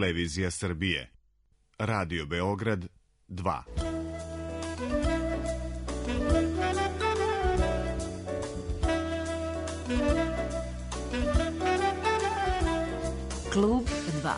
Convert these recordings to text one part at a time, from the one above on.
Televizija Srbije. Radio Beograd 2. Klub 2.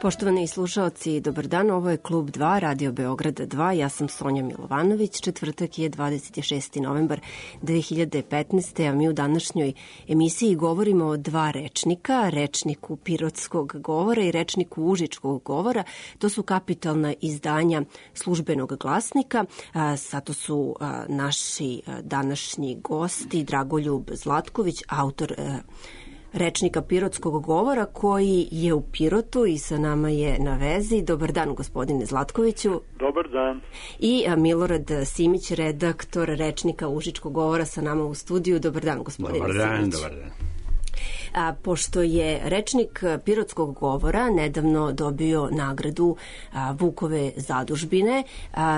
Poštovani slušaoci, dobar dan, ovo je Klub 2, Radio Beograd 2, ja sam Sonja Milovanović, četvrtak je 26. novembar 2015. a mi u današnjoj emisiji govorimo o dva rečnika, rečniku pirotskog govora i rečniku užičkog govora. To su kapitalna izdanja Službenog glasnika. Zato su naši današnji gosti Dragoljub Zlatković, autor rečnika pirotskog govora koji je u Pirotu i sa nama je na vezi. Dobar dan, gospodine Zlatkoviću. Dobar dan. I Milorad Simić, redaktor rečnika užičkog govora sa nama u studiju. Dobar dan, gospodine Simić. Dobar dan. Pošto je rečnik pirotskog govora nedavno dobio nagradu Vukove zadužbine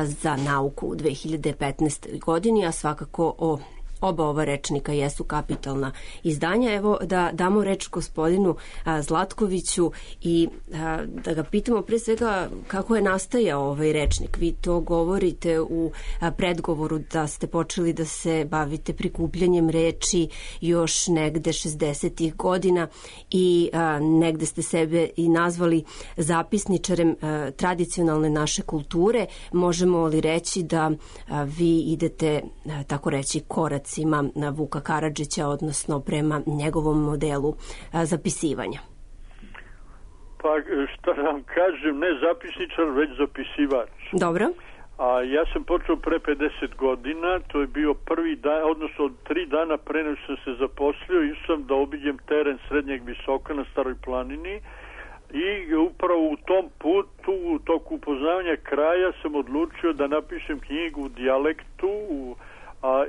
za nauku u 2015. godini, a svakako oba ova rečnika jesu kapitalna izdanja. Evo da damo reč gospodinu Zlatkoviću i da ga pitamo pre svega kako je nastajao ovaj rečnik. Vi to govorite u predgovoru da ste počeli da se bavite prikupljanjem reči još negde 60-ih godina i negde ste sebe i nazvali zapisničarem tradicionalne naše kulture. Možemo li reći da vi idete, tako reći, korac na Vuka Karadžića, odnosno prema njegovom modelu zapisivanja? Pa šta vam kažem, ne zapisničar, već zapisivač. Dobro. Ja sam počeo pre 50 godina, to je bio prvi dan, odnosno od 3 dana pre nego sam se zaposlio, išao sam da obiđem teren Srednjeg Visoka na Staroj planini i upravo u tom putu, u toku upoznavanja kraja sam odlučio da napišem knjigu u dijalektu,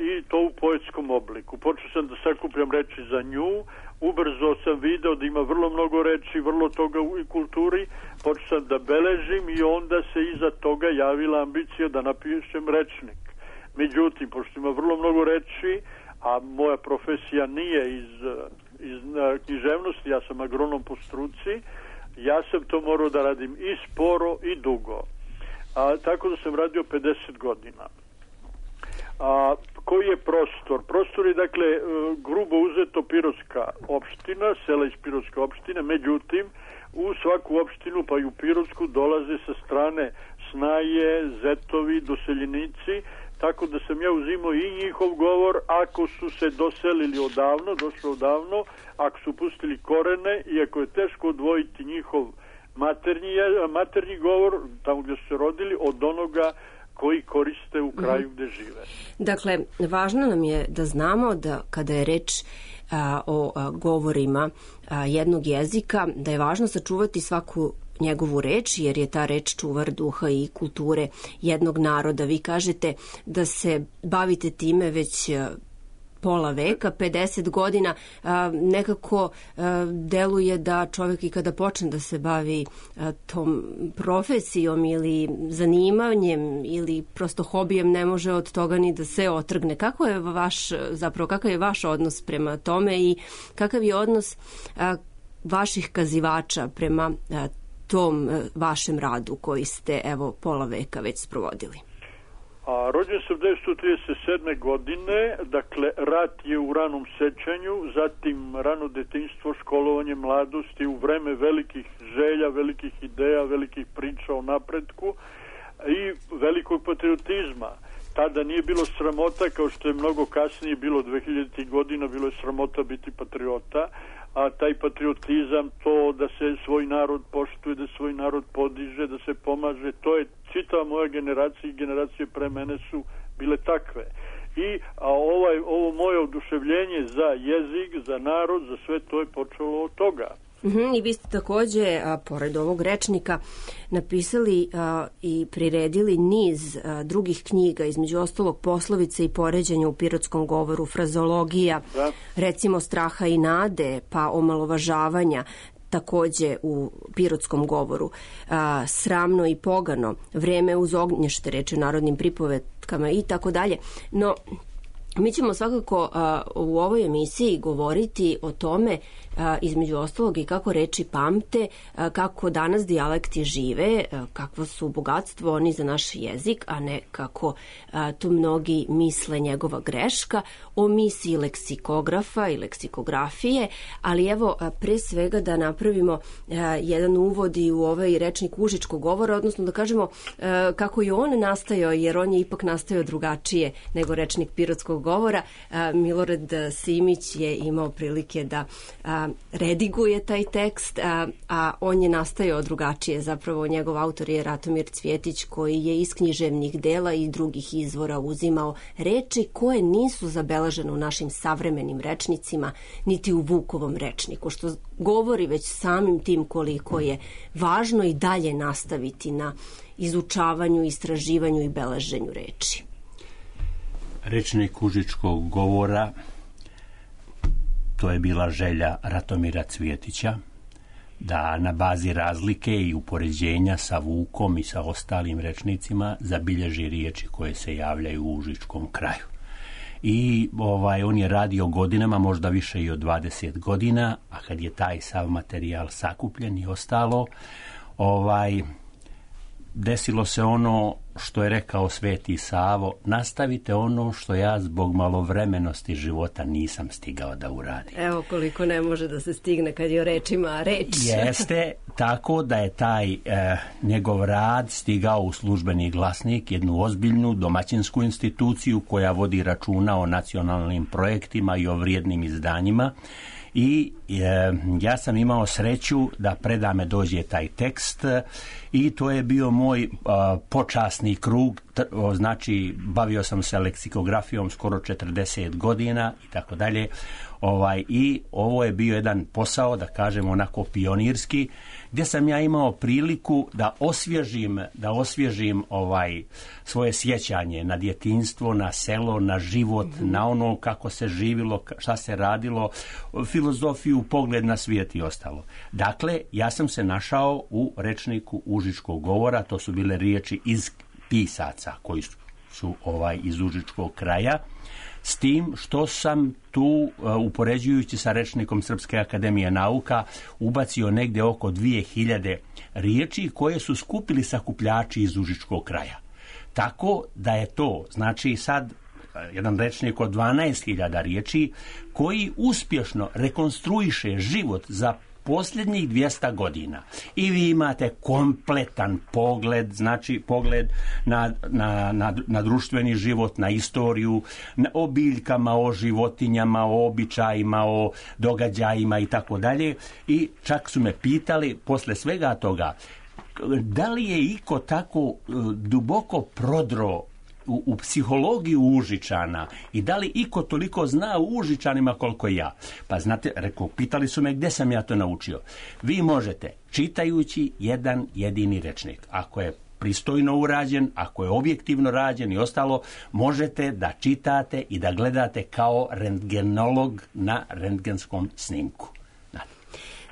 i to u poetskom obliku. Počeo sam da sakupljam reči za nju, ubrzo sam video da ima vrlo mnogo reči, vrlo toga u kulturi, počeo sam da beležim i onda se iza toga javila ambicija da napišem rečnik. Međutim, pošto ima vrlo mnogo reči, a moja profesija nije iz književnosti, ja sam agronom po struci, ja sam to morao da radim i sporo i dugo. Tako da sam radio 50 godina. Koji je prostor? Prostor je, dakle, grubo uzeto Pirotska opština, sela iz Pirotske opštine, međutim, u svaku opštinu, pa i u Pirotsku, dolaze sa strane snaje, zetovi, doseljenici, tako da sam ja uzimao i njihov govor, ako su se doselili došli odavno, ako su pustili korene, iako je teško odvojiti njihov maternji govor, tamo gdje su se rodili, od onoga koji koriste u kraju gde žive. Dakle, važno nam je da znamo da kada je reč o govorima jednog jezika, da je važno sačuvati svaku njegovu reč, jer je ta reč čuvar duha i kulture jednog naroda. Vi kažete da se bavite time već pola veka, 50 godina, nekako deluje da čovjek i kada počne da se bavi tom profesijom ili zanimanjem ili prosto hobijem ne može od toga ni da se otrgne. Kakav je vaš odnos prema tome i kakav je odnos vaših kazivača prema tom vašem radu koji ste pola veka već sprovodili? Rođen sam 1937. godine, dakle rat je u ranom sećanju, zatim rano detinjstvo, školovanje mladosti u vreme velikih želja, velikih ideja, velikih priča o napretku i velikog patriotizma. Tada nije bilo sramota, kao što je mnogo kasnije bilo 2000. godina, bilo je sramota biti patriota, a taj patriotizam, to da se svoj narod poštuje, da svoj narod podiže, da se pomaže, to je čitava moja generacija i generacije pre mene su bile takve. I ovo moje oduševljenje za jezik, za narod, za sve to je počelo od toga. I vi ste takođe, pored ovog rečnika, napisali i priredili niz drugih knjiga, između ostalog Poslovice i poređenja u pirotskom govoru, frazologija, recimo Straha i nade, pa omalovažavanja, takođe u pirotskom govoru, Sramno i pogano, Vreme uz ognješte, reči u narodnim pripovetkama i tako dalje. No, mi ćemo svakako u ovoj emisiji govoriti o tome, između ostalog, i kako reči pamte, kako danas dijalekti žive, kakvo su bogatstvo oni za naš jezik, a ne kako to mnogi misle njegova greška, o misiji leksikografa i leksikografije, ali evo, pre svega da napravimo jedan uvod i u ovaj rečnik užičkog govora, odnosno da kažemo kako je on nastajao, jer on je ipak nastajao drugačije nego rečnik pirotskog govora. Milorad Simić je imao prilike da rediguje taj tekst, a on je nastajao drugačije. Zapravo njegov autor je Ratomir Cvjetić, koji je iz književnih dela i drugih izvora uzimao reči koje nisu zabeležene u našim savremenim rečnicima, niti u Vukovom rečniku, što govori već samim tim koliko je važno i dalje nastaviti na izučavanju, istraživanju i beleženju reči. Rečnik užičkog govora, to je bila želja Ratomira Cvjetića, da na bazi razlike i upoređenja sa Vukom i sa ostalim rečnicima zabilježi riječi koje se javljaju u užičkom kraju. I on je radio godinama, možda više i od 20 godina, a kad je taj sav materijal sakupljen i ostalo, desilo se ono što je rekao Sveti Savo: nastavite ono što ja zbog malovremenosti života nisam stigao da uradim. Evo koliko ne može da se stigne kad je o rečima reč. Jeste, tako da je taj njegov rad stigao u Službeni glasnik, jednu ozbiljnu domaćinsku instituciju koja vodi računa o nacionalnim projektima i o vrijednim izdanjima. I ja sam imao sreću da predame dođe taj tekst i to je bio moj počasni krug, znači bavio sam se leksikografijom skoro 40 godina i tako dalje. I ovo je bio jedan posao, da kažem onako pionirski, gdje sam ja imao priliku da osvježim svoje sjećanje na djetinjstvo, na selo, na život, na ono kako se živilo, šta se radilo, filozofiju, pogled na svijet i ostalo. Dakle, ja sam se našao u rečniku užičkog govora, to su bile riječi iz pisaca koji su iz užičkog kraja, s tim što sam tu, upoređujući sa rečnikom Srpske akademije nauka, ubacio negdje oko 2000 riječi koje su skupili sakupljači iz užičkog kraja. Tako da je to, znači sad, jedan rečnik od 12.000 riječi koji uspješno rekonstruiše život za posljednjih 200 godina. I vi imate kompletan pogled, znači pogled na društveni život, na istoriju, o biljkama, o životinjama, o običajima, o događajima i tako dalje. I čak su me pitali posle svega toga, da li je iko tako duboko prodro u psihologiju Užičana i da li iko toliko zna u Užičanima koliko ja. Pa znate, rekao, pitali su me gdje sam ja to naučio. Vi možete, čitajući jedan jedini rečnik, ako je pristojno urađen, ako je objektivno rađen i ostalo, možete da čitate i da gledate kao rentgenolog na rentgenskom snimku.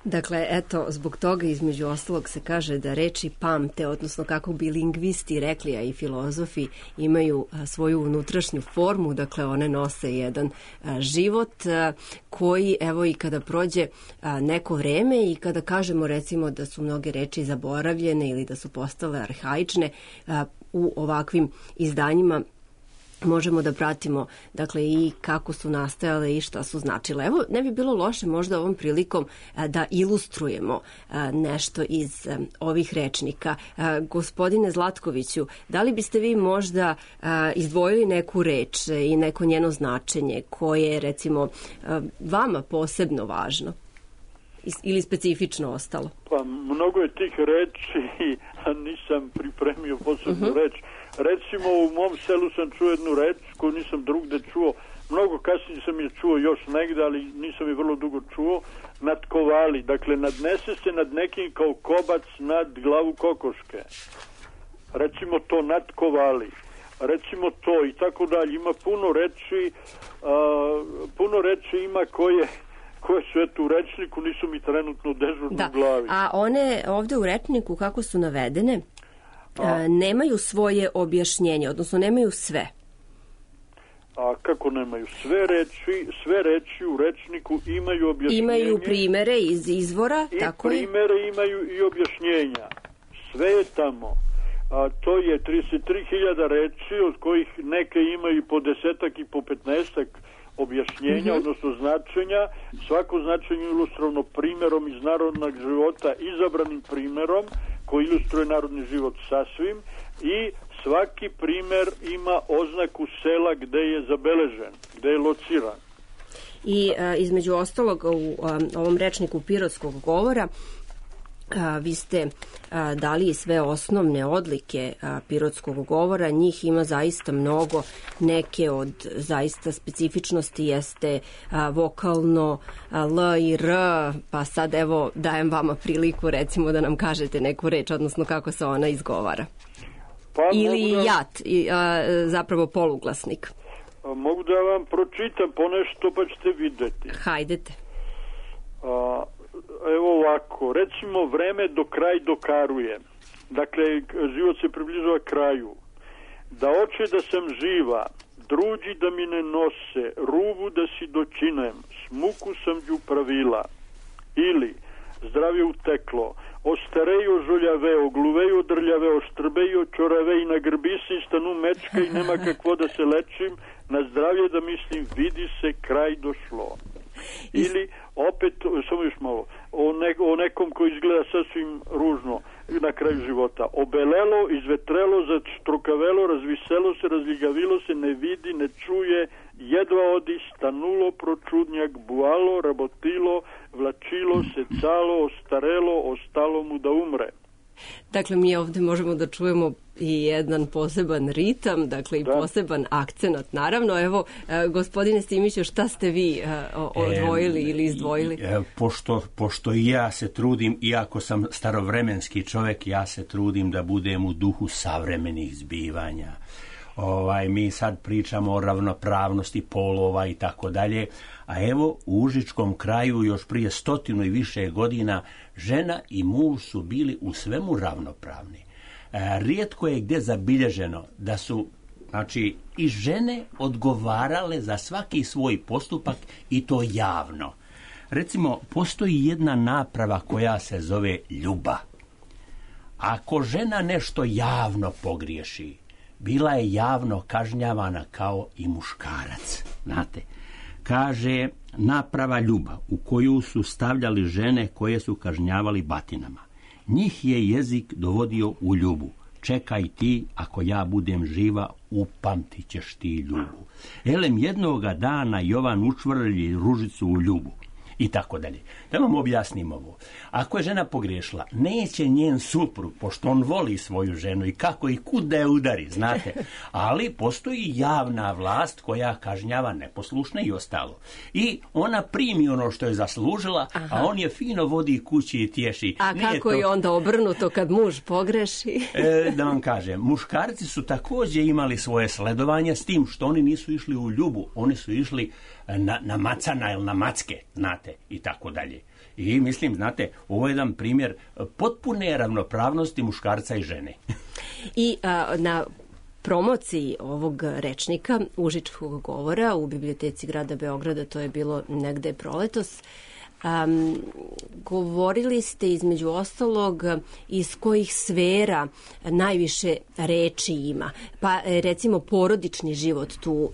Dakle, eto, zbog toga između ostalog se kaže da reči pamte, odnosno kako bi lingvisti rekli, a i filozofi, imaju svoju unutrašnju formu, dakle one nose jedan život koji, evo, i kada prođe neko vreme i kada kažemo recimo da su mnoge reči zaboravljene ili da su postale arhaične, u ovakvim izdanjima možemo da pratimo, dakle, i kako su nastajale i šta su značile. Evo, ne bi bilo loše možda ovom prilikom da ilustrujemo nešto iz ovih rečnika. Gospodine Zlatkoviću, da li biste vi možda izdvojili neku reč i neko njeno značenje koje je, recimo, vama posebno važno ili specifično ostalo? Pa, mnogo je tih reči, a nisam pripremio posebnu reč. Recimo, u mom selu sam čuo jednu reč koju nisam drugde čuo, mnogo kasnije sam je čuo još negde, ali nisam je vrlo dugo čuo, natkovali. Dakle, nadnese se nad nekim kao kobac nad glavu kokoške. Recimo to, natkovali. Recimo to i tako dalje. Ima puno reči ima koje su eto u rečniku, nisu mi trenutno dežurno u glavi. A one ovde u rečniku kako su navedene, nemaju svoje objašnjenje, odnosno nemaju sve. A kako nemaju? Sve reči u rečniku imaju objašnjenje. Imaju primere iz izvora, tako je? I primere imaju i objašnjenja. Sve je tamo. To je 33.000 reči, od kojih neke imaju po 10 i po 15 objašnjenja, odnosno značenja. Svako značenje je ilustrovano primerom iz narodnog života, izabranim primerom koji ilustruje narodni život sasvim, i svaki primer ima oznaku sela gde je zabeležen, gde je lociran. I između ostalog u ovom rečniku pirotskog govora vi ste dali sve osnovne odlike pirotskog govora, njih ima zaista mnogo, neke od zaista specifičnosti jeste vokalno L i R, pa sad evo dajem vama priliku recimo da nam kažete neku reč, odnosno kako se ona izgovara. Ili jat, zapravo poluglasnik. Mogu da vam pročitam ponešto pa ćete videti. Hajdete. Evo ovako, recimo vreme do kraj dokaruje. Dakle, život se približava kraju. Da oče da sam živa, druđi da mi ne nose, rubu da si dočinem, smuku sam đu pravila. Ili, zdravje uteklo, ostarejo žoljaveo, gluveo drljaveo, štrbejo čoravej, na grbisi stanu mečka i nema kakvo da se lečim, na zdravlje da mislim, vidi se, kraj došlo. Ili, opet, samo još malo, o nekom koji izgleda sasvim ružno na kraju života. Obelelo, izvetrelo, začtrukavelo, razviselo se, razljigavilo se, ne vidi, ne čuje, jedva odi, stanulo, pročudnjak, bualo, rabotilo, vlačilo, secalo, ostarelo, ostalo mu da umre. Dakle, mi ovde možemo da čujemo i jedan poseban ritam, dakle i poseban akcenat. Naravno, evo, gospodine Simiću, šta ste vi odvojili ili izdvojili? Pošto i ja se trudim, iako sam starovremenski čovek, ja se trudim da budem u duhu savremenih zbivanja. Mi sad pričamo o ravnopravnosti polova i tako dalje, a evo u užičkom kraju još prije 100 i više godina žena i muž su bili u svemu ravnopravni. Rijetko je gdje zabilježeno da su i žene odgovarale za svaki svoj postupak i to javno. Recimo, postoji jedna naprava koja se zove ljuba. Ako žena nešto javno pogriješi, bila je javno kažnjavana kao i muškarac. Znate, kaže naprava ljuba u koju su stavljali žene koje su kažnjavali batinama. Njih je jezik dovodio u ljubu. Čekaj ti, ako ja budem živa, upamtit ćeš ti ljubu. Elem jednoga dana Jovan učvrlji ružicu u ljubu. I tako dalje. Da vam objasnim ovo. Ako je žena pogriješila, neće njen suprug, pošto on voli svoju ženu i kako i kud da je udari, znate. Ali postoji javna vlast koja kažnjava neposlušne i ostalo. I ona primi ono što je zaslužila, a on je fino vodi kući i tješi. A kako je onda obrnuto kad muž pogreši? Da vam kažem, muškarci su također imali svoje sledovanje s tim što oni nisu išli u ljubu, oni su išli na macana ili na macke, znate, i tako dalje. I mislim, znate, ovo je jedan primjer potpune ravnopravnosti muškarca i žene. I na promociji ovog rečnika užičkog govora u biblioteci grada Beograda, to je bilo negde proletos, govorili ste između ostalog iz kojih sfera najviše reči ima. Pa recimo porodični život tu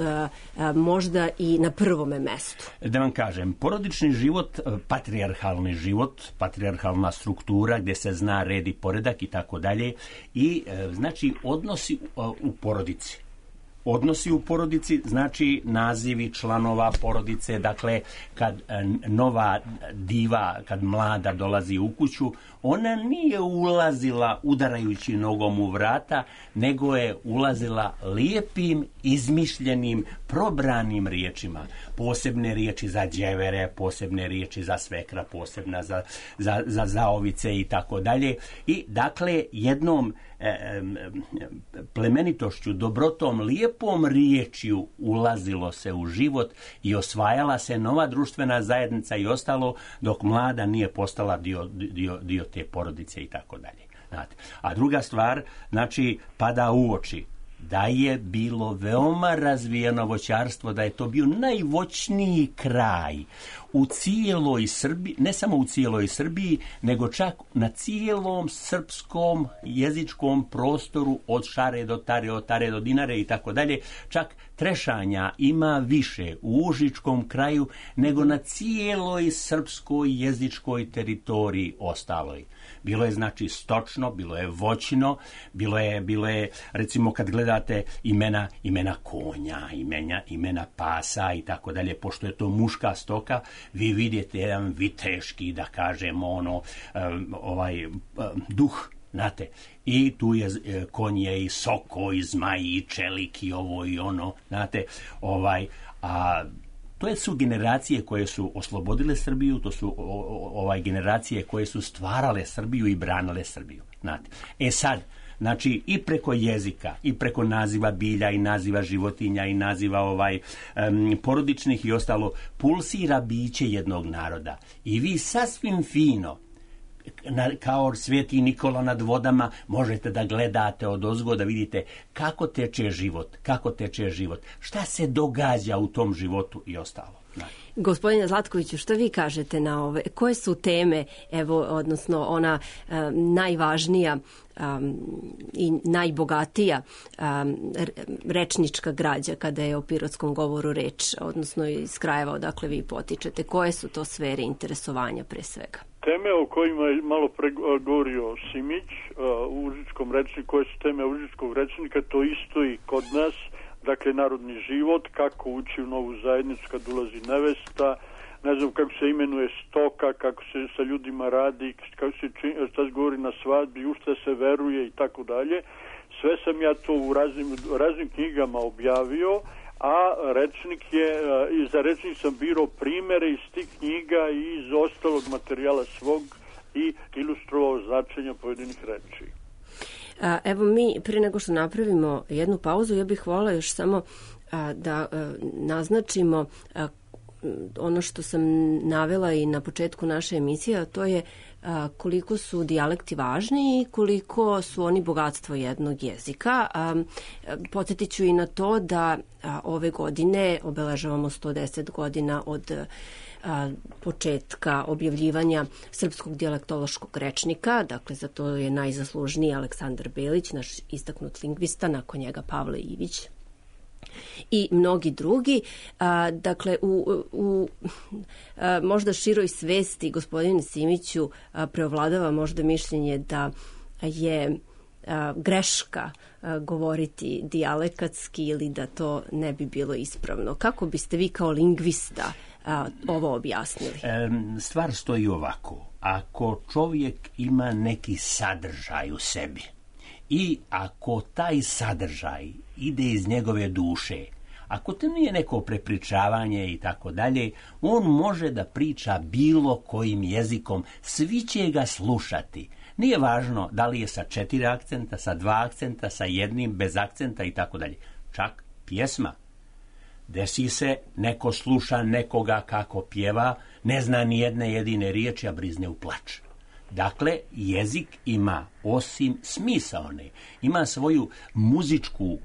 možda i na prvome mestu. Da vam kažem, porodični život, patrijarhalni život, patrijarhalna struktura gdje se zna red i poredak i tako dalje i znači odnosi u porodici. odnosi u porodici, znači nazivi članova porodice, dakle kad nova diva, kad mlada dolazi u kuću, ona nije ulazila udarajući nogom u vrata, nego je ulazila lijepim, izmišljenim, probranim riječima. Posebne riječi za đevere, posebne riječi za svekra, posebna za zaovice i tako dalje. I dakle jednom plemenitošću, dobrotom, lijepom riječju ulazilo se u život i osvajala se nova društvena zajednica i ostalo, dok mlada nije postala dio te porodice i tako dalje. A druga stvar, znači, pada u oči da je bilo veoma razvijeno voćarstvo, da je to bio najvoćniji kraj u cijeloj Srbiji, ne samo u cijeloj Srbiji, nego čak na cijelom srpskom jezičkom prostoru od Šare do Tare, od Tare do Dinare i tako dalje. Čak trešanja ima više u Užičkom kraju nego na cijeloj srpskoj jezičkoj teritoriji ostaloj. Bilo je znači stočno, bilo je voćno, bilo je recimo kad gledate imena konja, imena pasa i tako dalje, pošto je to muška stoka, vi vidite jedan viteški, da kažemo duh, znate, i tu je konje i soko i zmaj i čelik i ovo i ono, znate, a to su generacije koje su oslobodile Srbiju, to su generacije koje su stvarale Srbiju i branile Srbiju. Znate. Sad, znači i preko jezika, i preko naziva bilja, i naziva životinja, i naziva porodičnih i ostalo, pulsira biće jednog naroda. I vi sasvim fino, kao Sveti Nikola nad vodama, možete da gledate odozgo, da vidite kako teče život, šta se događa u tom životu i ostalo. Gospodine Zlatkoviću, što vi kažete na ove? Koje su teme, odnosno ona najvažnija i najbogatija rečnička građa kada je o pirotskom govoru reč, odnosno iz krajeva odakle vi potičete? Koje su to sfere interesovanja pre svega? Teme o kojima je malo pregovorio Simić u užičkom rečniku, koje su teme užičkog rečnika, to isto i kod nas. Dakle, narodni život, kako ući u novu zajednicu kad ulazi nevesta, ne znam kako se imenuje stoka, kako se sa ljudima radi, kako se šta se govori na svadbi, u šta se veruje i tako dalje. Sve sam ja to u raznim knjigama objavio, a za rečnik sam birao primere iz tih knjiga i iz ostalog materijala svog i ilustrovao značenja pojedinih reči. Evo mi, prije nego što napravimo jednu pauzu, ja bih voljela još samo da naznačimo ono što sam navela i na početku naše emisije, a to je koliko su dijalekti važni i koliko su oni bogatstvo jednog jezika. Podsjetit ću i na to da ove godine obeležavamo 110 godina od početka objavljivanja Srpskog dijalektološkog rečnika, dakle za to je najzaslužniji Aleksandar Belić, naš istaknut lingvista, nakon njega Pavle Ivić i mnogi drugi. Dakle, u možda široj svesti, gospodine Simiću, preovladava možda mišljenje da je greška govoriti dijalekatski ili da to ne bi bilo ispravno. Kako biste vi kao lingvista ovo objasnili? Stvar stoji ovako. Ako čovjek ima neki sadržaj u sebi i ako taj sadržaj ide iz njegove duše, ako to nije neko prepričavanje i tako dalje, on može da priča bilo kojim jezikom, svi će ga slušati. Nije važno da li je sa 4 akcenta, sa 2 akcenta, sa jednim, bez akcenta i tako dalje. Čak pjesma. Desi se, neko sluša nekoga kako pjeva, ne zna ni jedne jedine riječi, a brizne u plač. Dakle, jezik ima, osim smisaone, ima svoju muzičku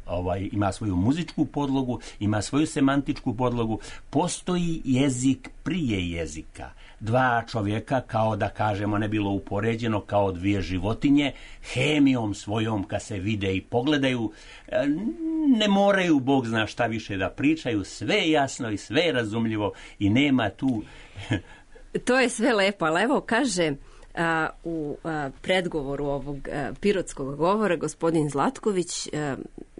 podlogu, ima svoju semantičku podlogu. Postoji jezik prije jezika. 2 čovjeka, kao da kažemo, ne bilo upoređeno, kao 2 životinje, hemijom svojom kad se vide i pogledaju, ne moraju, Bog zna šta više da pričaju, sve je jasno i sve je razumljivo i nema tu... To je sve lepo, ali evo kaže... u predgovoru ovog pirotskog govora gospodin Zlatković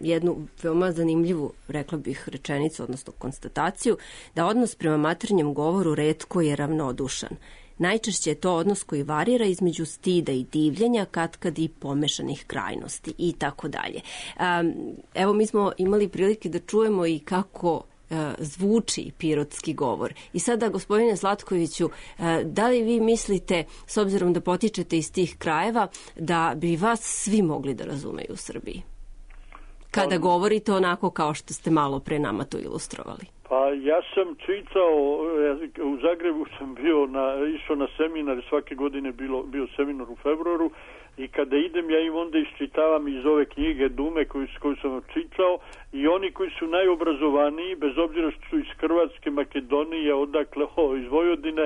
jednu veoma zanimljivu, rekla bih, rečenicu, odnosno konstataciju, da odnos prema maternjem govoru retko je ravnodušan. Najčešće je to odnos koji varira između stida i divljenja, katkad i pomešanih krajnosti i tako dalje. Evo, mi smo imali prilike da čujemo i kako zvuči pirotski govor. I sada, gospodine Slatkoviću, da li vi mislite, s obzirom da potičete iz tih krajeva, da bi vas svi mogli da razumeju u Srbiji? Kada govorite onako kao što ste malo pre nama to ilustrovali. Pa ja sam čitao, u Zagrebu sam išao na seminar, svake godine bio seminar u februaru, i kada idem ja im onda iščitavam iz ove knjige Dume koju sam čitao, i oni koji su najobrazovaniji, bez obzira što su iz Hrvatske, Makedonije, odakle, iz Vojvodine,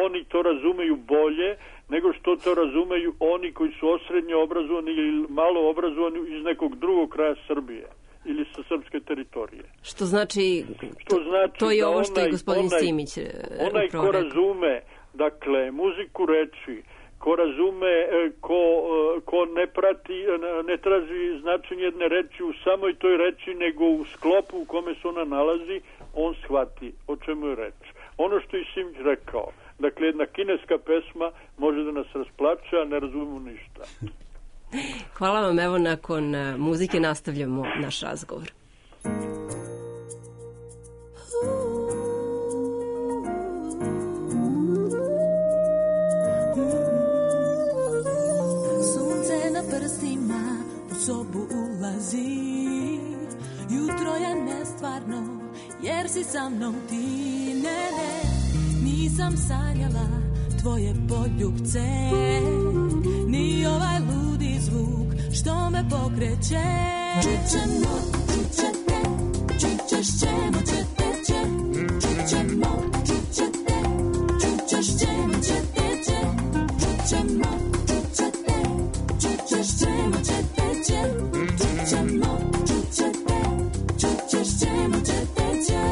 oni to razumeju bolje nego što to razumeju oni koji su osrednje obrazovani ili malo obrazovani iz nekog drugog kraja Srbije ili sa srpske teritorije. Što znači to je ovo što je gospodin Simić onaj ko razume, dakle, muziku reči, ko razume, ko ne prati, ne traži značenje jedne reči u samoj toj reči, nego u sklopu u kome se ona nalazi, on shvati o čemu je reč. Ono što je Simić rekao, dakle, jedna kineska pesma može da nas rasplače, a ne razumemo ništa. Hvala vam, evo nakon muzike nastavljamo naš razgovor. Sunce na prstima u sobu ulazi, jutro je nestvarno jer si sa mnom ti, ne, nisam sanjala tvoje poljubce, ni ovaj ludi zvuk što me pokreće. Čućemo, čućete, čućeš ćemo, ćete će, čućemo, čućete, čućeš ćemo, ćete će, čućemo, čućete, čućeš ćemo, ćete će, čućemo, čućete, čućeš ćemo, ćete će.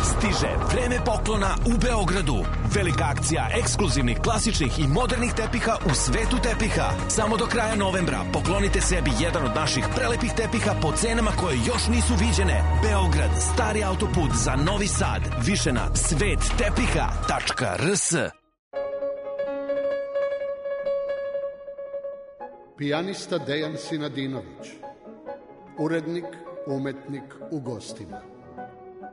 Stiže vreme poklona u Beogradu. Velika akcija ekskluzivnih, klasičnih i modernih tepiha u svetu tepiha. Samo do kraja novembra poklonite sebi jedan od naših prelepih tepiha po cenama koje još nisu viđene. Beograd, stari autoput za Novi Sad. Više na svettepiha.rs. Pijanista Dejan Sinadinović. Urednik, umetnik u gostima.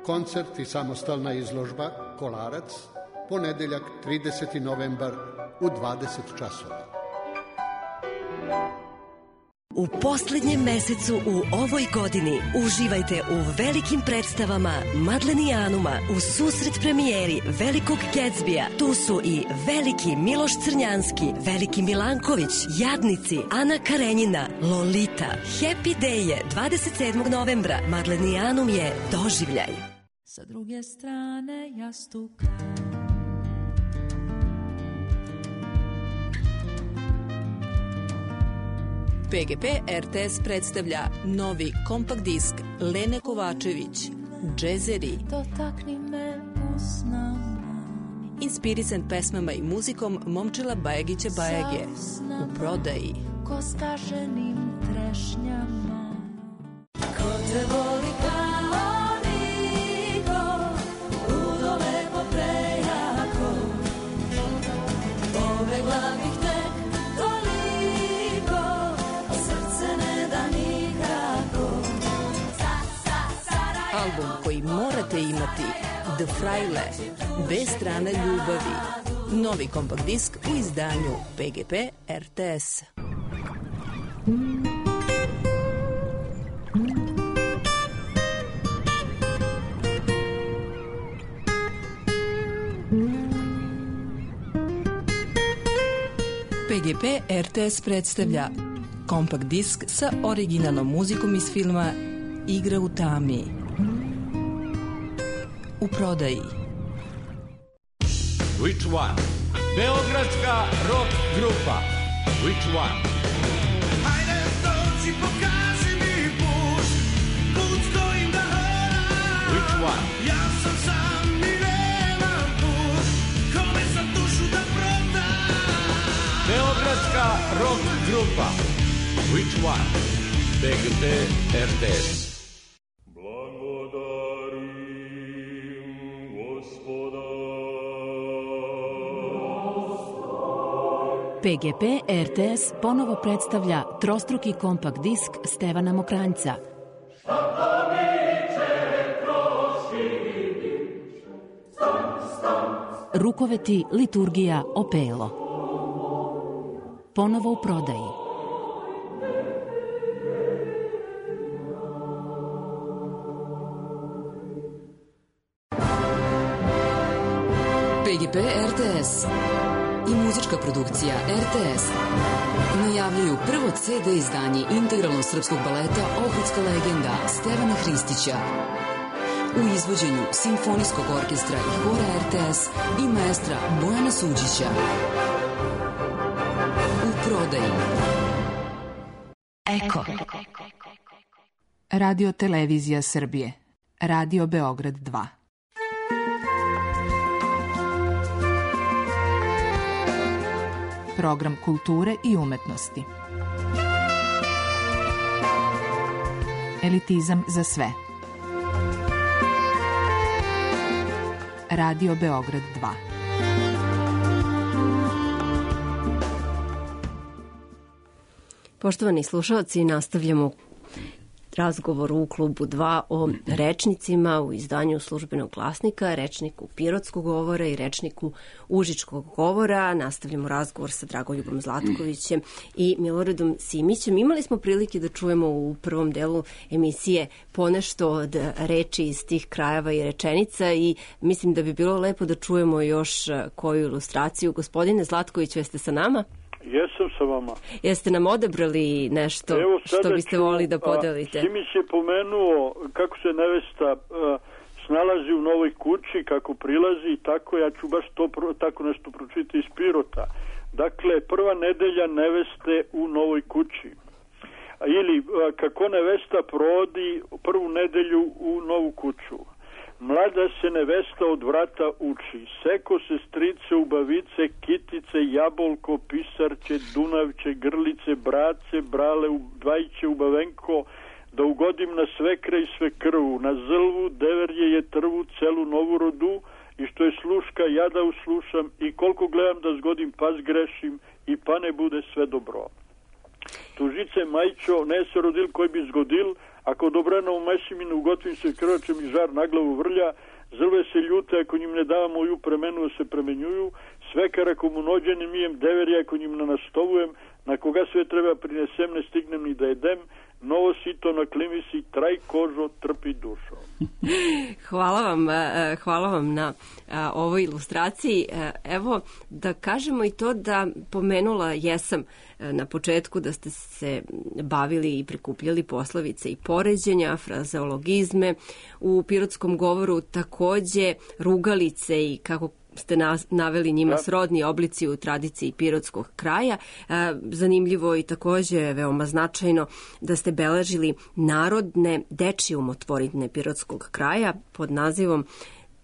Koncert i samostalna izložba Kolarac, ponedeljak 30. novembar u 20 časova. U poslednjem mesecu u ovoj godini uživajte u velikim predstavama Madlenijanuma u susret premijeri Velikog Gatsbija. Tu su i Veliki Miloš Crnjanski, Veliki Milanković, Jadnici, Ana Karenjina, Lolita. Happy Day je 27. novembra. Madlenijanum je doživljaj. Sa druge strane jastuk. PGP RTS predstavlja novi kompakt disk Lene Kovačević, Džezeri. Dotakni me usnama. Inspirisan pesmama i muzikom Momčila Bajagića Bajage. U prodaji. Ko staženim trešnjama. Ko te voli kao niko, ludo lepo prejako. Povegla bih tek toliko, a srce ne da nikako. Album koji morate imati, The Fraile, bez strane ljubavi. Novi kompakt disk u izdanju PGP RTS. PGP RTS predstavlja kompakt disk sa originalnom muzikom iz filma Igra u tami. U prodaji. Which one? Beogradska rock grupa. Which one? Hajde dođi, pokaži mi put, put kojim da hodam. Which one? Ja sam sam i nemam put, kome sam dušu da prodam. Beogradska rock grupa. Which one? PGP RTS. PGP RTS ponovo predstavlja trostruki kompakt disk Stevana Mokranjca. Rukoveti, liturgija, opelo. Ponovo u prodaji. PGP RTS i muzička produkcija RTS najavljuju prvo CD izdanje integralnog srpskog baleta Ohridska legenda Stevana Hristića u izvođenju Simfonijskog orkestra i hora RTS i maestra Bojana Suđića. U prodaji. Eko. Radio Televizija Srbije. Radio Beograd 2. Program kulture i umetnosti. Elitizam za sve. Radio Beograd 2. Poštovani slušalci, nastavljamo razgovor u klubu 2 o rečnicima u izdanju Službenog glasnika, rečniku Pirotskog govora i rečniku Užičkog govora. Nastavljamo razgovor sa Dragoljubom Zlatkovićem i Miloradom Simićem. Imali smo prilike da čujemo u prvom delu emisije ponešto od reči iz tih krajeva i rečenica i mislim da bi bilo lepo da čujemo još koju ilustraciju. Gospodine Zlatkoviću, jeste sa nama? Jesam sa vama. Jeste nam odebrali nešto što biste volili da podelite? Simić je pomenuo kako se nevesta snalazi u novoj kući, kako prilazi i tako, ja ću baš tako nešto pročitati iz Pirota. Dakle, prva nedelja neveste u novoj kući. Ili kako nevesta provodi prvu nedelju u novu kuću. Mlada se nevesta od vrata uči, seko se strice, ubavice, kitice, jabolko, pisarče, dunavče, grlice, brace, brale, dvajće, ubavenko, da ugodim na svekra i svekrvu, na zlvu, deverje je trvu, celu novorodu, i što je sluška, ja da uslušam, i koliko gledam da zgodim, pa zgrešim, i pa ne bude sve dobro. Tužice Majčo, ne se rodil koji bi zgodil, ako dobrano u mešiminu ugotvim se krvačem i žar na glavu vrlja, zrve se ljute ako njim ne dava moju premenu se premenjuju, svekar ako mu nođenim mijem deveri ako njim ne nastovujem, na koga sve treba prinesem ne stignem ni da jedem, novo sito na klimisi, traj kožo, trpi dušo. Hvala vam na ovoj ilustraciji. Evo, da kažemo i to da pomenula jesam na početku da ste se bavili i prikupljali poslovice i poređenja, frazeologizme, u pirotskom govoru takođe rugalice i kako ste naveli njima srodni oblici u tradiciji pirotskog kraja. Zanimljivo i takođe veoma značajno da ste beležili narodne dečije umotvoritne pirotskog kraja pod nazivom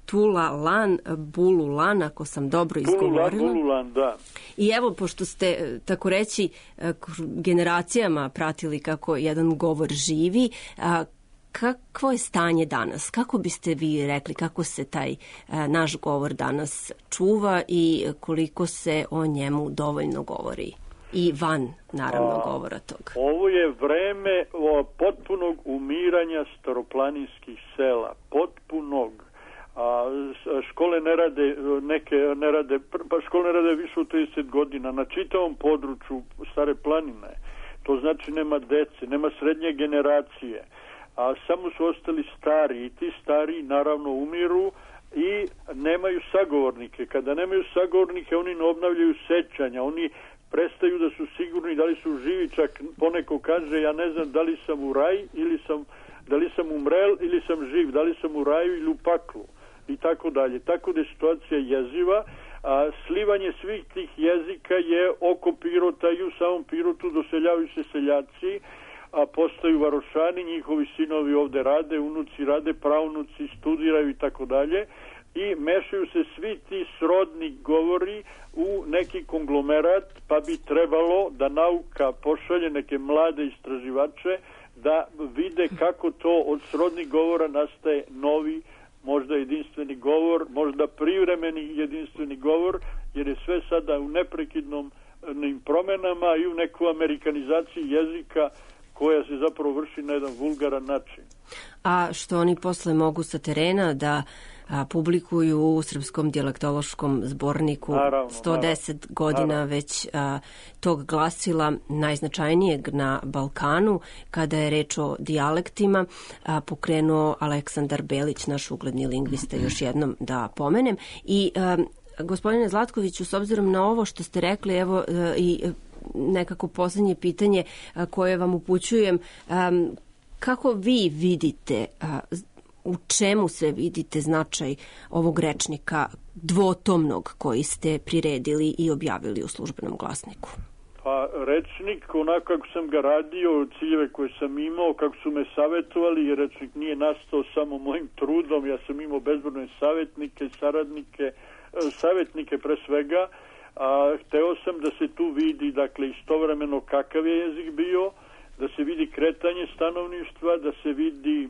Tula Lan, Bulu Lan, ako sam dobro izgovorila. Bulu Lan, da. I evo, pošto ste, tako reći, generacijama pratili kako jedan govor živi, kakvo je stanje danas? Kako biste vi rekli kako se taj naš govor danas čuva i koliko se o njemu dovoljno govori? I van, naravno, govora tog. Ovo je vreme potpunog umiranja staroplaninskih sela. Potpunog. Škole ne rade, škole ne rade više od 30 godina. Na čitavom području Stare planine. To znači nema dece, nema srednje generacije. A samo su ostali stari i ti stari naravno umiru i nemaju sagovornike. Kada nemaju sagovornike, oni ne obnavljaju sećanja, oni prestaju da su sigurni da li su živi, čak poneko kaže ja ne znam da li sam u raj ili da li sam umrel ili sam živ, da li sam u raju ili u paklu i tako dalje. Tako da je situacija jeziva, a slivanje svih tih jezika je oko Pirota i u samom Pirotu doseljavaju se seljaci, a postaju varošani, njihovi sinovi ovde rade, unuci rade, pravnuci studiraju i tako dalje i mešaju se svi ti srodni govori u neki konglomerat, pa bi trebalo da nauka pošalje neke mlade istraživače da vide kako to od srodnih govora nastaje novi, možda jedinstveni govor, možda privremeni jedinstveni govor, jer je sve sada u neprekidnom promenama i u neku amerikanizaciji jezika koja se zapravo vrši na jedan vulgaran način. A što oni posle mogu sa terena da publikuju u Srpskom dijalektološkom zborniku, naravno, 110 godina već tog glasila najznačajnijeg na Balkanu, kada je reč o dijalektima, pokrenuo Aleksandar Belić, naš ugledni lingvista, još jednom da pomenem. I gospodine Zlatkoviću, s obzirom na ovo što ste rekli, evo i nekako poslednje pitanje koje vam upućujem, kako vi vidite, u čemu sve vidite značaj ovog rečnika dvotomnog koji ste priredili i objavili u Službenom glasniku? Pa rečnik, onako kako sam ga radio, ciljeve koje sam imao, kako su me savjetovali, jer rečnik nije nastao samo mojim trudom, ja sam imao bezbrojne savjetnike, saradnike, savjetnike pre svega, hteo sam da se tu vidi, dakle, istovremeno kakav je jezik bio, da se vidi kretanje stanovništva, da se vidi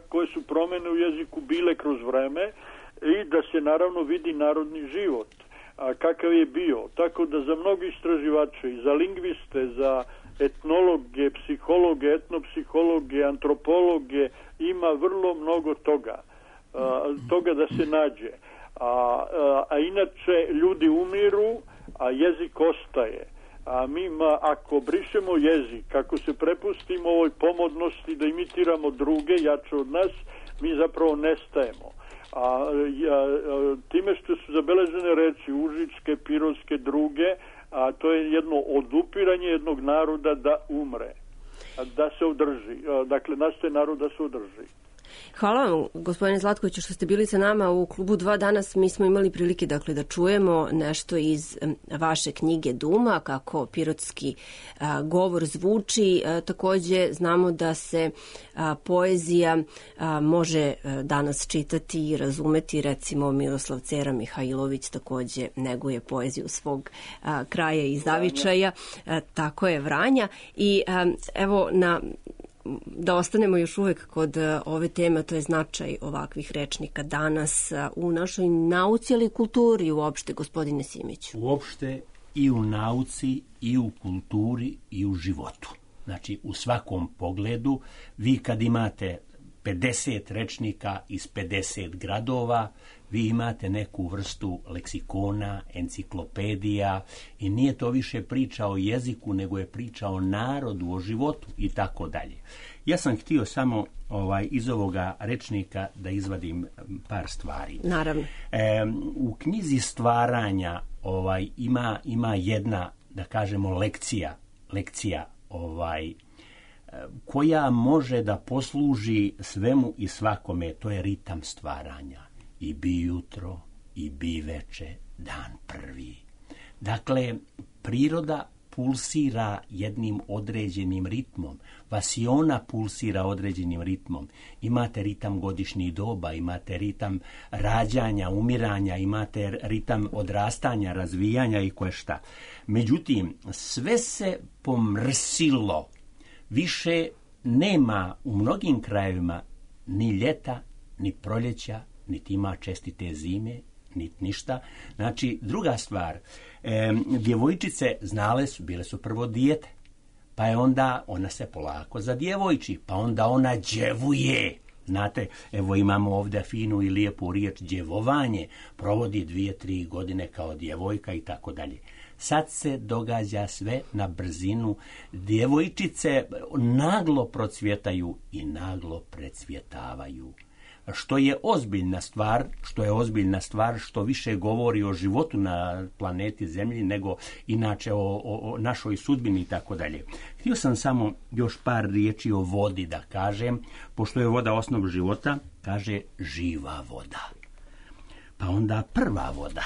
koje su promene u jeziku bile kroz vreme i da se naravno vidi narodni život, kakav je bio. Tako da za mnogi istraživače, i za lingviste, za etnologe, psihologe, etnopsihologe, antropologe, ima vrlo mnogo toga da se nađe. A inače ljudi umiru, a jezik ostaje. A mi, ako brišemo jezik, ako se prepustimo ovoj pomodnosti da imitiramo druge, jače od nas, mi zapravo nestajemo. Time što su zabeležene reči užičke, pirotske, druge, to je jedno odupiranje jednog naroda da umre, da se održi. Dakle, nastaje narod da se održi. Hvala vam, gospodine Zlatkoviću, što ste bili sa nama u Klubu 2 danas. Mi smo imali prilike da čujemo nešto iz vaše knjige Duma, kako pirotski govor zvuči. Takođe znamo da se poezija može danas čitati i razumeti. Recimo Miroslav Cera Mihajlović takođe neguje poeziju svog kraja i zavičaja. Tako je, Vranja. I evo, da ostanemo još uvek kod ove teme, to je značaj ovakvih rečnika danas u našoj nauci, ali i kulturi uopšte, gospodine Simiću. Uopšte i u nauci, i u kulturi, i u životu. Znači, u svakom pogledu, vi kad imate 50 rečnika iz 50 gradova, vi imate neku vrstu leksikona, enciklopedija i nije to više priča o jeziku, nego je priča o narodu, o životu i tako dalje. Ja sam htio samo iz ovoga rečnika da izvadim par stvari. Naravno. U knjizi stvaranja ima jedna, da kažemo, lekcija koja može da posluži svemu i svakome, to je ritam stvaranja. I bi jutro, i bi veče, dan prvi. Dakle, priroda pulsira jednim određenim ritmom. Vasiona pulsira određenim ritmom. Imate ritam godišnjih doba, imate ritam rađanja, umiranja, imate ritam odrastanja, razvijanja i koje šta. Međutim, sve se pomrsilo. Više nema u mnogim krajevima ni ljeta, ni proljeća, niti ima čestite zime, niti ništa. Znači, druga stvar, djevojčice znale su, bile su prvo dijete, pa je onda ona se polako zadjevojči, pa onda ona djevuje. Znate, evo imamo ovdje finu i lijepu riječ djevovanje, provodi 2-3 godine kao djevojka i tako dalje. Sad se događa sve na brzinu. Djevojčice naglo procvjetaju i naglo precvjetavaju. Što je ozbiljna stvar, što više govori o životu na planeti Zemlji nego inače o našoj sudbini i tako dalje. Htio sam samo još par riječi o vodi da kažem, pošto je voda osnov života, kaže živa voda. Pa onda prva voda.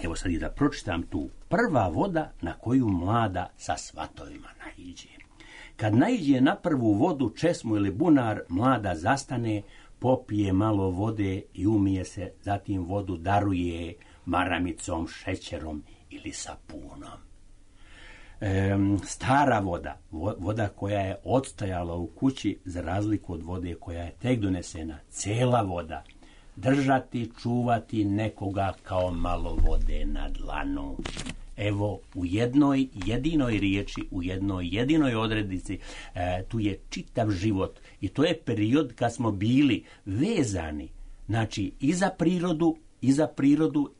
Evo sad i da pročitam tu. Prva voda na koju mlada sa svatovima naiđe. Kad naiđe na prvu vodu, česmu ili bunar, mlada zastane, popije malo vode i umije se, zatim vodu daruje maramicom, šećerom ili sapunom. Stara voda, voda koja je odstajala u kući za razliku od vode koja je tek donesena, cela voda, držati, čuvati nekoga kao malo vode na dlanu. Evo, u jednoj jedinoj riječi, u jednoj jedinoj odrednici, tu je čitav život. I to je period kad smo bili vezani, znači i za prirodu,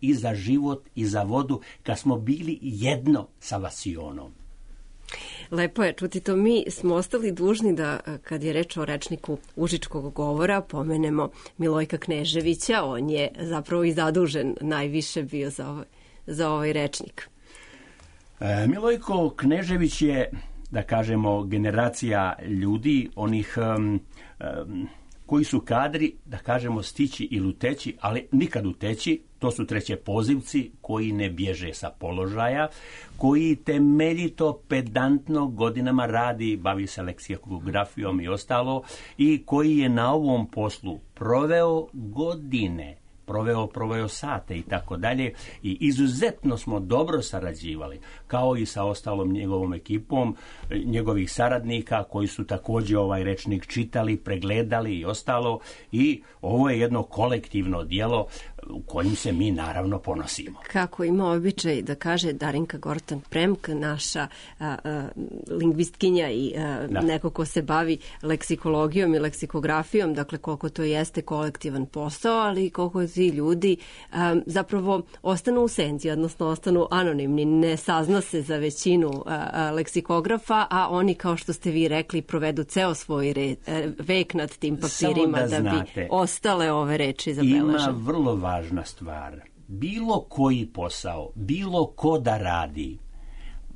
i za život, i za vodu, kad smo bili jedno sa Vasionom. Lepo je čuti to. Mi smo ostali dužni da, kad je reč o rečniku užičkog govora, pomenemo Milojka Kneževića. On je zapravo i zadužen najviše bio za ovaj rečnik. Milojko Knežević je, da kažemo, generacija ljudi, onih koji su kadri, da kažemo, stići ili uteći, ali nikad uteći. To su treće pozivci koji ne bježe sa položaja, koji temeljito, pedantno godinama radi, bavi se leksikografijom i ostalo, i koji je na ovom poslu proveo godine, proveo sate i tako dalje, i izuzetno smo dobro sarađivali, kao i sa ostalom njegovom ekipom, njegovih saradnika koji su također ovaj rečnik čitali, pregledali i ostalo, i ovo je jedno kolektivno djelo u kojim se mi naravno ponosimo. Kako ima običaj da kaže Darinka Gortan-Premk, naša lingvistkinja i neko ko se bavi leksikologijom i leksikografijom, dakle koliko to jeste kolektivan posao, ali koliko ti ljudi zapravo ostanu u senci, odnosno ostanu anonimni, ne sazna se za većinu leksikografa, a oni, kao što ste vi rekli, provedu ceo svoj vek nad tim papirima da bi ostale ove reči zabeležene. Ima vrlo važna stvar. Bilo koji posao, bilo ko da radi,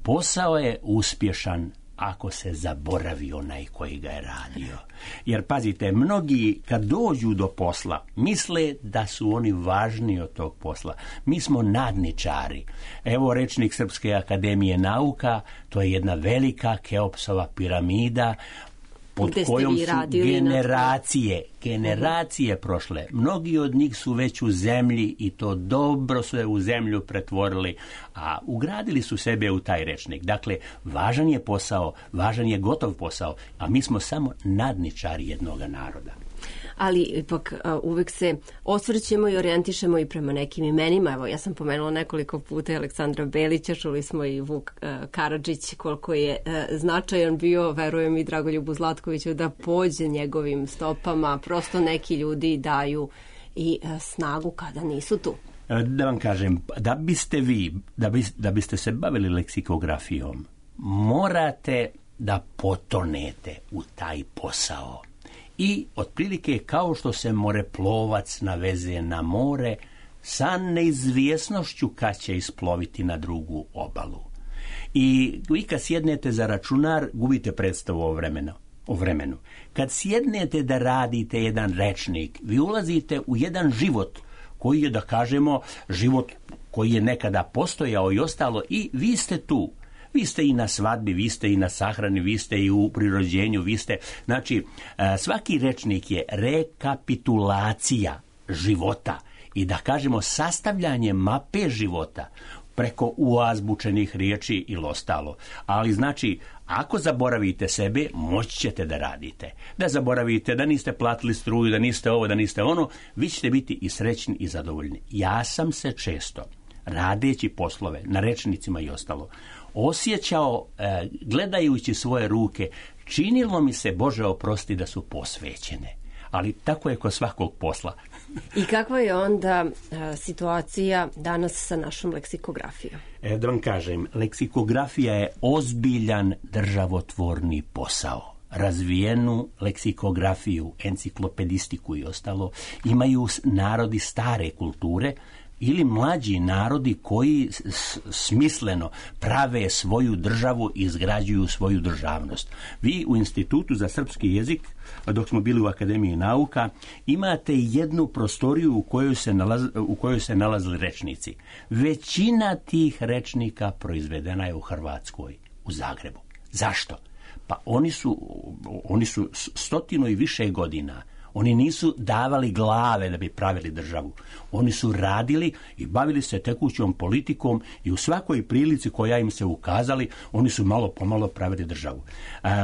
posao je uspješan ako se zaboravi onaj koji ga je radio. Jer pazite, mnogi kad dođu do posla misle da su oni važniji od tog posla. Mi smo nadničari. Evo rečnik Srpske akademije nauka, to je jedna velika Keopsova piramida pod kojom su generacije prošle. Mnogi od njih su već u zemlji i to dobro su je u zemlju pretvorili, a ugradili su sebe u taj rečnik. Dakle, važan je posao, važan je gotov posao, a mi smo samo nadničari jednoga naroda. Ali ipak uvek se osvrćemo i orijentišemo i prema nekim imenima. Evo, ja sam pomenula nekoliko puta Aleksandra Belića, čuli smo i Vuk Karadžić, koliko je značajan bio, verujem i Dragoljubu Zlatkoviću, da pođe njegovim stopama. Prosto neki ljudi daju i snagu kada nisu tu. Da vam kažem, da biste vi, da biste se bavili leksikografijom, morate da potonete u taj posao. I otprilike kao što se moreplovac naveze na more sa neizvjesnošću kad će isploviti na drugu obalu. I vi kad sjednete za računar, gubite predstavu o vremenu. Kad sjednete da radite jedan rečnik, vi ulazite u jedan život koji je, da kažemo, život koji je nekada postojao i ostalo, i vi ste tu. Vi ste i na svadbi, vi ste i na sahrani, vi ste i u prirođenju, vi ste... Znači, svaki rečnik je rekapitulacija života i, da kažemo, sastavljanje mape života preko uazbučenih riječi ili ostalo. Ali, znači, ako zaboravite sebe, moći ćete da radite. Da zaboravite da niste platili struju, da niste ovo, da niste ono, vi ćete biti i srećni i zadovoljni. Ja sam se često, radeći poslove na rečnicima i ostalo, osjećao, gledajući svoje ruke, činilo mi se, Bože oprosti, da su posvećene. Ali tako je kod svakog posla. I kakva je onda situacija danas sa našom leksikografijom? Da vam kažem, leksikografija je ozbiljan državotvorni posao. Razvijenu leksikografiju, enciklopedistiku i ostalo imaju narodi stare kulture ili mlađi narodi koji smisleno prave svoju državu i izgrađuju svoju državnost. Vi u Institutu za srpski jezik, dok smo bili u Akademiji nauka, imate jednu prostoriju u kojoj se nalazili rečnici. Većina tih rečnika proizvedena je u Hrvatskoj, u Zagrebu. Zašto? Pa oni su 100 i više godina. Oni nisu davali glave da bi pravili državu. Oni su radili i bavili se tekućom politikom i u svakoj prilici koja im se ukazali, oni su malo pomalo pravili državu.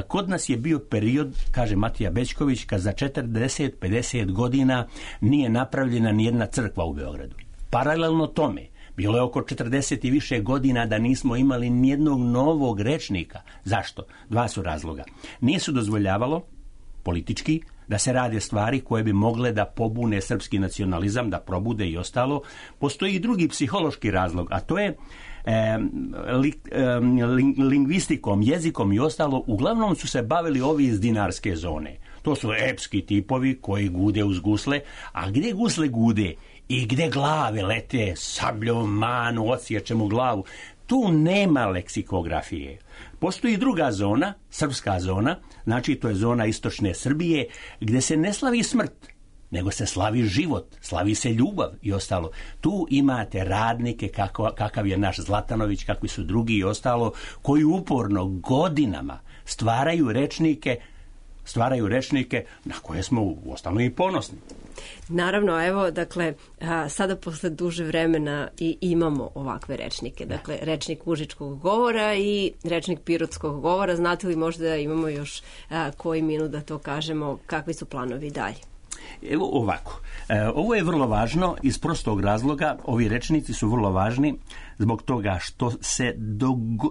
Kod nas je bio period, kaže Matija Bećković, kad za 40-50 godina nije napravljena nijedna crkva u Beogradu. Paralelno tome, bilo je oko 40 i više godina da nismo imali nijednog novog rečnika. Zašto? Dva su razloga. Nije se dozvoljavalo politički da se rade stvari koje bi mogle da pobune srpski nacionalizam, da probude i ostalo. Postoji i drugi psihološki razlog, a to je lingvistikom, jezikom i ostalo. Uglavnom su se bavili ovi iz dinarske zone. To su epski tipovi koji gude uz gusle, a gdje gusle gude i gdje glave lete sabljom, manu, odsječemo glavu, tu nema leksikografije. Postoji druga zona, srpska zona, znači to je zona istočne Srbije, gdje se ne slavi smrt, nego se slavi život, slavi se ljubav i ostalo. Tu imate radnike kakav je naš Zlatanović, kakvi su drugi i ostalo, koji uporno godinama stvaraju rečnike na koje smo uostalom i ponosni. Naravno, evo, dakle, sada posle duže vremena i imamo ovakve rečnike. Dakle, rečnik užičkog govora i rečnik pirotskog govora. Znate li možda da imamo još koji minut da to kažemo, kakvi su planovi dalje? Evo ovako, ovo je vrlo važno iz prostog razloga, ovi rečnici su vrlo važni zbog toga što se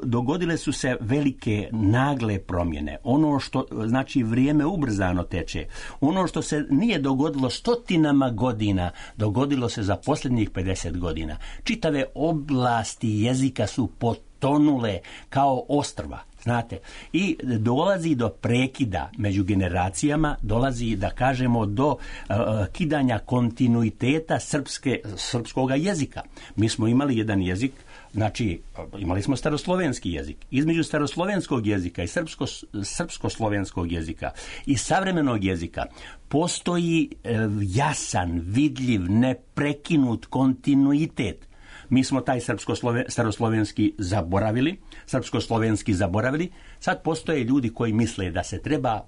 dogodile su se velike nagle promjene. Ono što, znači, vrijeme ubrzano teče. Ono što se nije dogodilo stotinama godina, dogodilo se za posljednjih 50 godina. Čitave oblasti jezika su potonule kao ostrva. Znate, i dolazi do prekida među generacijama, dolazi, da kažemo, do kidanja kontinuiteta srpskoga jezika. Mi smo imali jedan jezik, znači imali smo staroslovenski jezik. Između staroslovenskog jezika i srpsko-slovenskog jezika i savremenog jezika postoji jasan, vidljiv, neprekinut kontinuitet. Mi smo taj staroslovenski zaboravili. Sad postoje ljudi koji misle da se treba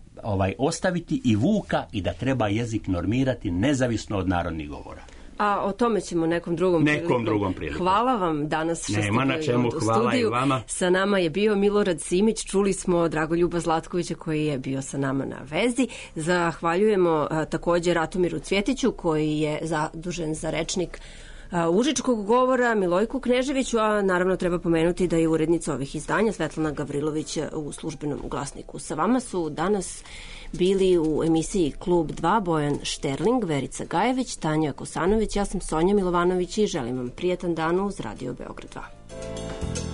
ostaviti i Vuka i da treba jezik normirati nezavisno od narodnih govora. A o tome ćemo nekom drugom prilikom. Hvala vam danas što ste bili u studiju. Sa nama je bio Milorad Simić, čuli smo Dragoljuba Zlatkovića koji je bio sa nama na vezi. Zahvaljujemo također Ratomiru Cvjetiću koji je zadužen za rečnik užičkog govora, Milojku Kneževiću, a naravno treba pomenuti da je urednica ovih izdanja Svetlana Gavrilović u Službenom glasniku. Sa vama su danas bili u emisiji Klub 2 Bojan Šterling, Verica Gajević, Tanja Kosanović, ja sam Sonja Milovanović i želim vam prijatan dan uz Radio Beograd 2.